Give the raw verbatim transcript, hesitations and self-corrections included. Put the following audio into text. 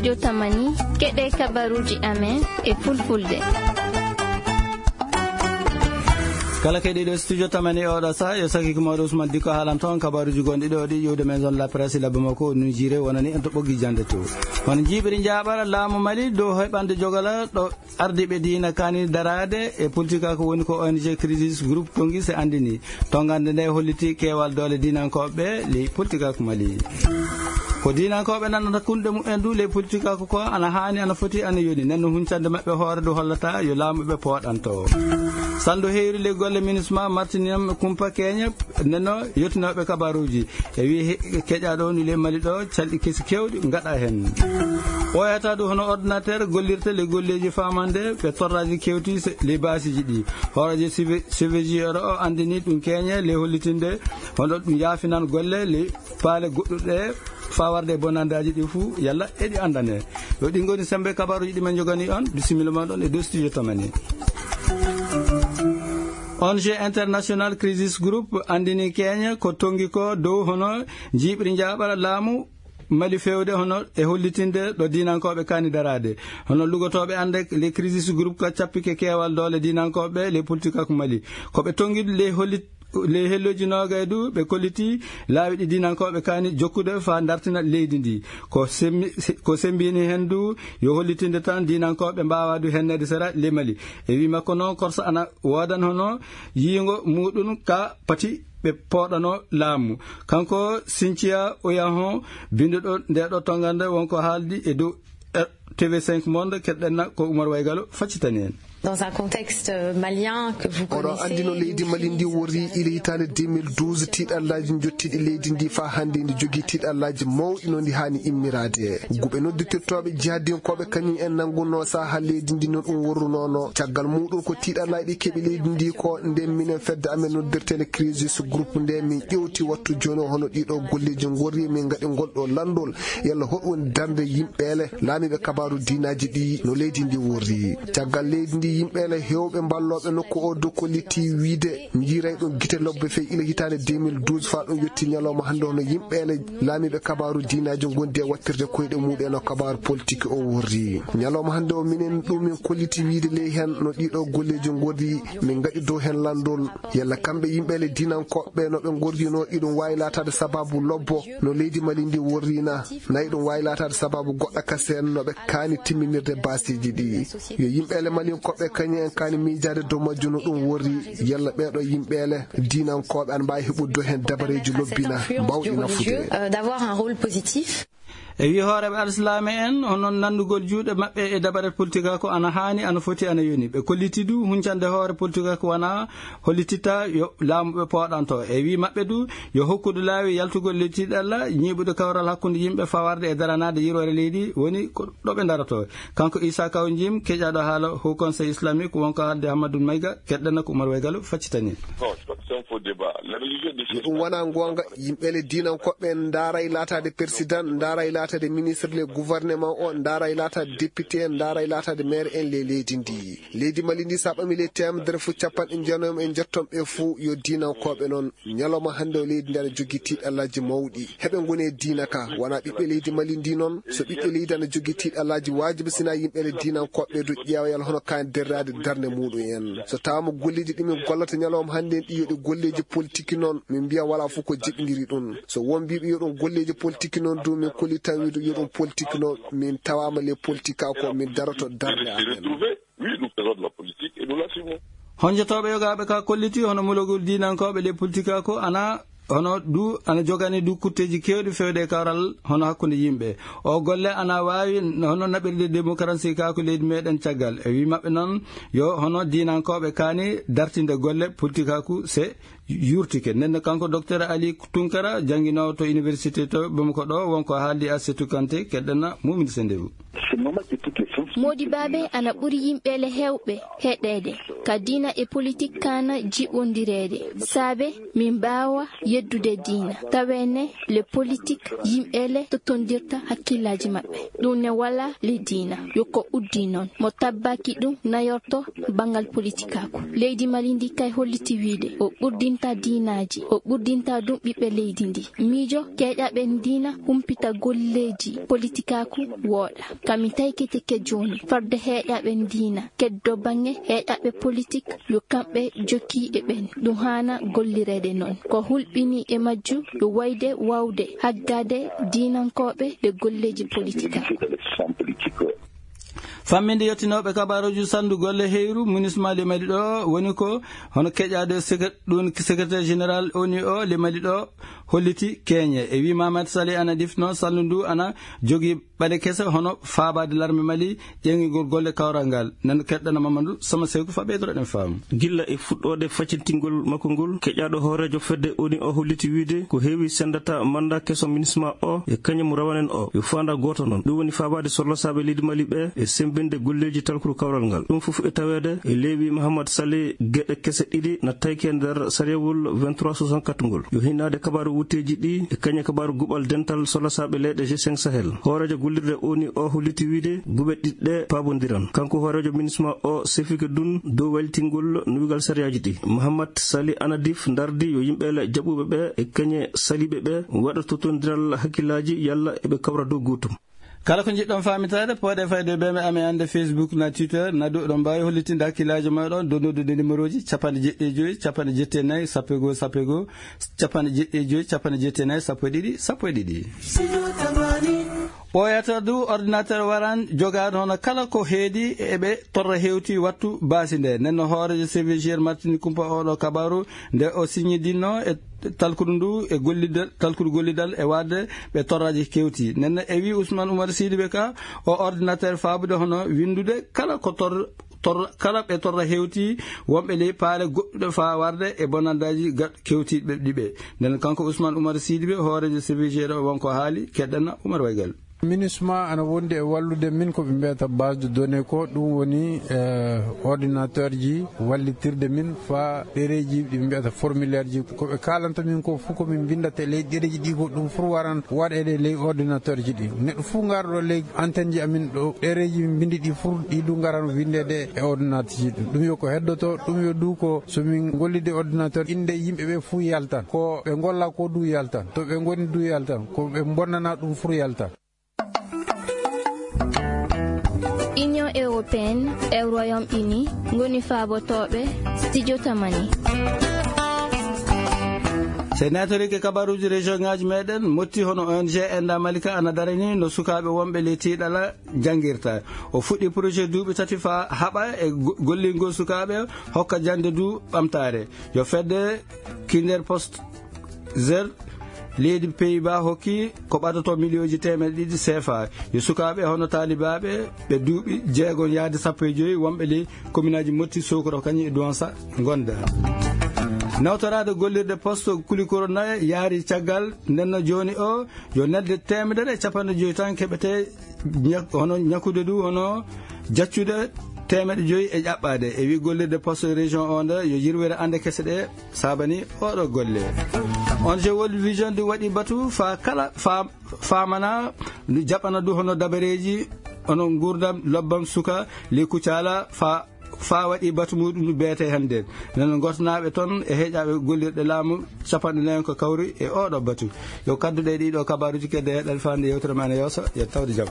Yo tamani, keɗe kabaruji amen e fulfulde. Kala keɗiɗo studio tamani e oɗo saha, yo sakki ko mawɗo Ousmane Dikko haalan toon kabaruji gonɗi ɗo ɗi ƴiwde maison de la presse labbo makko o nujire wonani en to ɓoggi jande to. Hono jiiɓiri jaaɓara laamu Mali dow heɓande jogala ɗo ardiiɓe diina kaani daraade e politika ko woni ko O N G Crisis Group tongi se anndini. Tongande nde holliti keewal doole diinankooɓe ley politika ko Mali. Ko diinankooɓe nanata kunɗe mumen du ley politika ko ko ana haani, ana foti, ana yoni. Nenno huncande maɓɓe hoore du hollata yo laamu ɓe pooɗanto. Saldo heyri ley golle minisma Martiniam Kumpa Keña, nenno yottinooɓe kabaruuji. E wi he-, keƴaɗo ni ley Mali ɗo, calɗi kesi kewɗi ngaɗa hen. Ɓooyata du hono ordinateur gollirta ley golleji famande ɓe torraji kewti se-, ley basiji ɗi. Hoorejo C V, C V G R o anndini ɗum Keña ley hollitinde hono ɗum yaafinan golle ley paale goɗɗuɗe fa warde e bonandaji ɗi fuu yalla eɗi anndane. Yo ɗi ngoni sembe kabaruji ɗi men jogani on, bisimilla ma ɗon e dow studio tamani. O N G International Crisis Group anndini Keña ko tongi ko dow hono jiiɓri jaaɓara laamu Mali fewde hono e hollitinde ɗo diinankooɓe kaani daraade. Hono lugotooɓe annde le Crisis Group ka cappike keewal doole diinankooɓe le politika ko Mali. Ko ɓe tongi le hollit-, le helloji noogay du ɓe kolliti laawi ɗi diinankooɓe kaani jokkude fa dartina leydi ndi. Ko sembi-, ko sembini hen du yo hollitinde tan diinankooɓe mbaawa du hennede sera le Mali. E wi makko noon korsa ana woodan hono yiingo muɗum ka pati ɓe pooɗano laamu. Kanko Cynthia Oyaho, binduɗo nde ɗo tongande wonko haaldi e dow R T V cinq Monde, keɗɗenna ko Oumar Waygalo faccitani en. Dans un contexte, euh, malien que vous Oɗo connaissez, anndi no leydi Mali ndi worri ila hitaande deux mille douze, tiiɗallaaji njottiiɗi leydi ndi faa hannde ndi jogii tiiɗallaaji mawɗi no ndi haani immiraade. Guɓe nodditirtooɓe jihadinkooɓe kañum en nanngunoo sahaa leydi ndi no ɗum worrunoono. Caggal muuɗum ko tiiɗallaaji ɗi keɓi leydi ndi ko nden minen fedde amen noddirteende Crisis Group nde min ƴeewti wattu jooni o hono ɗiɗo golleeji ngorri min ngaɗi ngol ɗo lanndol. Yalla hoɗum woni darnde yimɓeele laamiiɓe kabaaru diinaaji ɗi no leydi ndi worri. Caggal leydi ndi yimɓeele heewɓe mballooɓe nokku o dow kollitii wiide njiiray ɗum gite lobbe fey ila hitaande deux mille douze faa ɗum yotti ñalawma hannde hono yimɓeele laamiiɓe kabaaru diinaaji ngondi e wattirde koyɗe muɗum e no kabaaru politique o worri. Ñalawma hannde o minen ɗum min kolliti wiide ley hen no ɗiɗo golleeji ngorri min ngaɗi dow hen lanndol. Yalla kamɓe yimɓeele diinankooɓe no ɓe ngorrino iɗum waawi laataade sababu lobbo no leydi Mali ndi worrina. Nayi ɗum waawi laataade sababu goɗɗo kasen no ɓe kaani timminirde baasiiji ɗi. Yo yimɓeele Malinkooɓe kañum en kaani miijaade dow majjum no ɗum worri. Yalla ɓeeɗo yimɓeele diinankooɓe ana mbaawi heɓude dow heen dabareeji lobbina mbawɗi nafude. Euh, d'avoir un rôle positif. E wi hooreeɓe alsilaame en, hono nanndugol juuɗe maɓɓe e dabare politika ko ana haani, ana foti, ana yoni. Ɓe kolliti du huncande hoore politika ko wona hollititta yo laamu ɓe pooɗanto. E wi maɓɓe du, yo hokkude laawi yaltugol le tiiɗalla, ñiiɓude kawral hakkunde yimɓe fawarde e daranaade yirwere leydi, woni ko ɗo ɓe ndaroto. Kanko Issa Kaw Jim, keƴaɗo haala Haut Conseil Islamique, wonko haalde Hammadou Maïga, keɗɗen ko Oumar Waygalo faccitani. Non, je crois que c'est un faux débat. Les religieux décident. Ɗum wona goonga, yimɓe le diinankooɓe en ndaaray laataade président, ndaaray laataade ministre le gouvernement o, ndaaray laataade député en, ndaaray laataade maire en le leydi ndi. Leydi Mali ndi, sa ɓami le temedere fof capanɗe jeenayom e jettom ɓe fuu yo diinankooɓe noon. Ñalawma hannde o leydi ndi ana jogii tiiɗallaaji mawɗi. Heɓe ngoni e diina ka, wona ɓiɓɓe leydi Mali ndi noon. So ɓiɓɓe leydi ana jogii tiiɗallaaji, waajibi sina yimɓe le diinankooɓe du ƴeewa yalla hono kan derraade darnde muɗum en. So tawaama golleeji ɗi min gollata ñalawma hannde en ɗi yo ɗi golleeji politique noon, min mbiya wala fof ko jiɓindiri ɗum. So won mbiiɓe yo ɗum golleeji politique noon du, min kolli tan wiide yo ɗum politique noon, min tawaama le politique ka ko min daroto darnde amen. Oui, nous faisons de la politique et nous l'assumons. Honjotooɓe yogaaɓe ka kolliti hono mologol diinankooɓe le politika ko ana hono du ana jogani du kutteeji keewɗi fewde e kawral hono hakkunde yimɓe. O golle ana waawi hono naɓirde démocratie ka ko leydi meɗen caggal. E wi maɓɓe noon yo hono diinankooɓe kaani dartinde golle politika ku se yurtike. Nden kanko Docteur Ali Tunkara, jannginoowo to université to Bamako ɗo, wonko haaldi Asetu Kante, keɗɗen Mumin Sendewu. Moodi baabe ana ɓuri yimɓeele heewɓe heɗeede ka diina e politik kaana jiɓondireede. Saabe min mbaawa yeddude diina. Taweene le politik yimɓeele tottondirta hakkillaaji maɓɓe. Ɗum ne wala le diina. Yo ko uddi noon. Mo tabbaki ɗum nayorto banngal politikaaku. Leydi Mali ndi kay holliti wiide o ɓurdi Ɓurdinta diinaaji, o ɓurdinta ɗum ɓiɓɓe leydi ndi. Miijo keeƴaɓe diina humpita golleeji politikaaku wooɗa. Kami taykitike jooni, farde heeƴaɓe diina, keddo baŋŋe heeƴaɓe politik, yo kamɓe jokki e ɓen. Ɗum haana gollireede noon. Ko hulɓini e majju yo wayde waawde haggade diinankooɓe ɗe golleeji politikaaku. Famminde yettinooɓe kabaaruuji sanndu golle heyru, munisma Limadi ɗo woni ko hono keƴaade seke-, ɗum secrétaire général ONU o Limadi ɗo holliti keeñe. E wi Mamadou Sali ana difno sanndu ndu ana jogi ɓale kese hono faabaade larme Mali ƴeeŋgol golle kawral ngal. Nan keɗɗana Mamadou Sama Seku fa ɓeydoro ɗen faamu. Gilla e fuɗɗoode faccintingol makko ngol, keƴaaɗo hooreejo fedde ONU o holliti wiide ko heewi senndata manda keso minisma o e kañum rawanen o yo faanda gooto noon. Ɗum woni faabaade sorlosaaɓe leydi Mali ɓe e semmbinde golleeji talkuru kawral ngal. Ɗum fof e taweede e leewi Mahamad Saleh geɗe kese ɗiɗi na tayke nder sariyawol vingt-trois soixante-quatre ngol. Yo hinnaade kabaaru wutteeji ɗi e kañum kabaaru guɓal dental sorlosaaɓe leyɗe G cinq Sahel. Hooreejo gollirde ONU o holliti wiide guɓe ɗiɗi ɗe paabondiran. Kanko hooreejo minisma o sefike dun dow waylitingol nuwigal sariyaaji ɗi. Mahamad Sali Anadif ndardi yo yimɓe le jaɓuɓe ɓe e kañe saliɓe ɓe waɗa totondiral hakkillaaji yalla eɓe kawra dow gootum. Kala ko njiɗɗon faamitaade, pooɗe fayde e ɓe amen annde Facebook na Twitter, na ɗo oɗon mbaawi hollitinde hakkillaaji mooɗon, dow noddude numéroji capanɗe jeɗɗi e joyi, capanɗe jeɗɗi e nayi, sappo e goo, sappo e goo, capanɗe jeɗɗi e joyi, capanɗe jeɗɗi e nayi, sappo e ɗiɗi, sappo e ɗiɗi. Ɓooyata du ordinateur waran jogaade hono kala ko heedi e ɓe torra hewti wattu baasi nde. Nden no hooreejo C V G R Martini Kumpa oɗo kabaru nde o signidinno e talkudu ndu e gollidal, talkudu gollidal e waɗde ɓe torraji kewti. Nden no e wi Ousmane Oumar Sidibé ka o ordinateur faabude hono winndude kala ko tor-, tor-, kala ɓe torra hewti wonɓe ley paale goɗɗuɗe faa warde e bonandaaji ga-, kewtiiɗi ɓe ɗi ɓe. Nden kanko Ousmane Oumar Sidibé, hooreejo C V G ɗo, wonko haali, keɗɗana Oumar Waygal. MINUSMA ana wondi e wallude min ko ɓe mbiyata base de données ko, ɗum woni, eh, ordinateur ji wallitirde min faa ɗereeji ɗi ɓe mbiyata formulaire ji. Ko ɓe kaalanta min ko fof ko min mbinndata e ley ɗereeji ɗi ko ɗum fof waran waɗeede e ley ordinateur ji ɗi. Neɗɗo fof ngarɗo ley antenne ji amin ɗo, ɗereeji min mbinndi ɗi fof ɗi du ngaran winndeede e ordinateur ji ɗi. Ɗum yo ko heddoto, ɗum yo du ko so min gollide ordinateur, innde yimɓe ɓe fof yaltan. Ko ɓe ngolla ko du yaltan. To ɓe ngoni du yaltan. Ko ɓe bonnana ɗum fof yaltan. Union européenne e Royaume-Uni ngoni faabotooɓe Studio Tamani. Se naatorike kabaruuji région ngaaji meɗen, motti hono O N G Enda Malika ana darani no sukaaɓe wonɓe ley tiiɗala janngirta. O fuɗɗi projet duuɓi tati faa haɓa e go-, gollingol sukaaɓe, hokka jannde du ɓamtaare. Yo fedde Kinder Post Z leydi Pays-Bas hokki ko ɓadotoo miliyooji teemeɗɗe ɗiɗi C F A. Yo sukaaɓe hono taalibaaɓe ɓe duuɓi jeegom yahde sappo e joyi wonɓe ley kominaaji Motti, Sokoro, kañum e Duwansa ngonda. Nawtoraade gollirde poste Kulikoro na yaari caggal, nden no jooni o yo nelɗe teemedere e capanɗe joyi tan keɓetee ñak-, hono ñakkude du, hono jaccude teemeɗɗe joyi e ƴaɓɓaade. E wi gollirde poste région o nde yo yirwere annde kese ɗe saabani oɗo golle. O N G World Vision du waɗi batu faa kala faa-, faamana, jaɓana du hono dabareeji, hono nguurndam lobbam suka ley Kucala faa, faa waɗi batu muɗum du beete hannde. Nden no gortanaaɓe toon e heeƴaaɓe gollirɗe laamu capanɗe nayi ko kawri e oɗo batu. Yo kadduɗe ɗiɗo kabaaruuji kedde heɗal faa nde yewtere ma ne yoosa, yo tawde jam.